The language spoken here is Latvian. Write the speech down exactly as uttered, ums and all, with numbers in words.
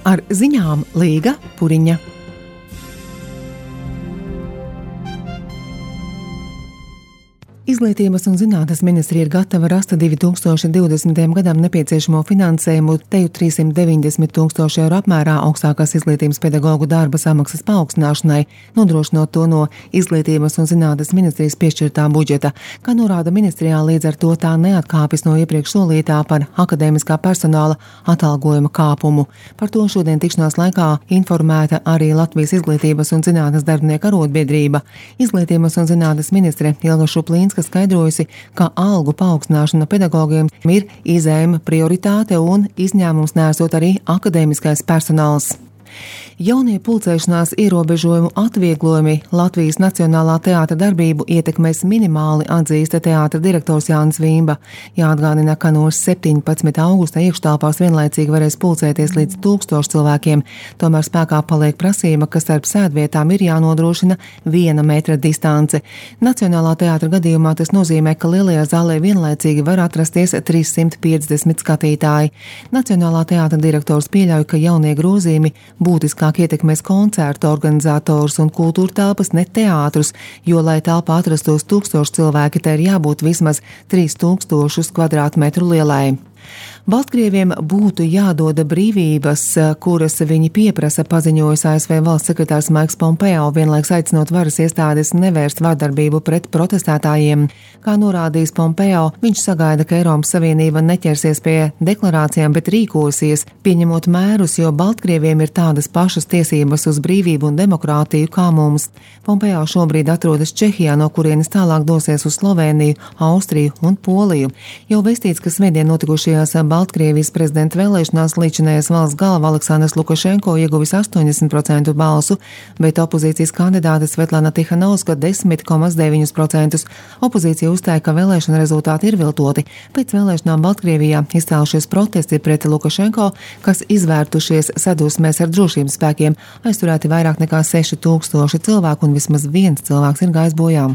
Ar ziņām Līga Puriņa. Izglītības un zinātnes ministrija ir gatava rast divi tūkstoši divdesmitajam gadam nepieciešamo finansējumu teju trīssimt deviņdesmit tūkstoši eiro apmērā augstākās izglītības pedagoģu darba samaksas paaugstināšanai, nodrošinot to no Izglītības un zinātnes ministrijas piešķirtā budžeta. Kā norāda ministrijā, līdz ar to tā neatkāpjas no iepriekš solītā par akadēmiskā personāla atalgojuma kāpumu. Par to šodien tikšanās laikā informēta arī Latvijas Izglītības un zinātnes darbinieku arotbiedrība. Izglītības un zinātnes ministre Ilga Šuplīnska skaidrojusi, ka algu paaugstināšana pedagogiem ir izējuma prioritāte un izņēmums nesot arī akadēmiskais personāls. Jaunie pulcēšanās ierobežojumu atvieglojumi Latvijas Nacionālā teātra darbību ietekmēs minimāli, atzīst teātra direktors Jānis Vīmba. Jāatgādina, ka no septiņpadsmitā augusta iekštelpās vienlaicīgi varēs pulcēties līdz tūkstošu cilvēkiem. Tomēr spēkā paliek prasība, ka starp sēdvietām ir jānodrošina viena metra distance. Nacionālā teātra gadījumā tas nozīmē, ka lielajā zālē vienlaicīgi var atrasties trīssimt piecdesmit skatītāji. Nacionālā teātra direktors pieļauj, ka jaunie grozījumi būtiskāk ietekmēs koncertu organizatorus un kultūra telpas, ne teātrus, jo, lai telpā atrastos tūkstoši cilvēki, te ir jābūt vismaz trīs tūkstošus kvadrātmetru lielai. Baltkrieviem būtu jādoda brīvības, kuras viņi pieprasa, paziņojis A S V valsts sekretārs Maiks Pompeo, vienlaiks aicinot varas iestādes nevērst vardarbību pret protestētājiem. Kā norādījis Pompeo, viņš sagaida, ka Eiropas Savienība neķersies pie deklarācijām, bet rīkosies, pieņemot mērus, jo Baltkrieviem ir tādas pašas tiesības uz brīvību un demokrātiju kā mums. Pompeo šobrīd atrodas Čehijā, no kurienes tālāk dosies uz Slovēniju, Austriju un Poliju. Jau vēstīts, ka svētdien notikušajās Baltkrievijas prezidenta vēlēšanās līdzinājais valsts galva Aleksandrs Lukašenko ieguvis astoņdesmit procentu balsu, bet opozīcijas kandidāte Svetlana Tihanovska desmit komats deviņus procentus. Opozīcija uzstāja, ka vēlēšana rezultāti ir viltoti. Pēc vēlēšanām Baltkrievijā izcēlušies protesti pret Lukašenko, kas izvērtušies sadusmēs ar drošības spēkiem. Aizturēti vairāk nekā seši tūkstoši cilvēku un vismaz viens cilvēks ir gājis bojā.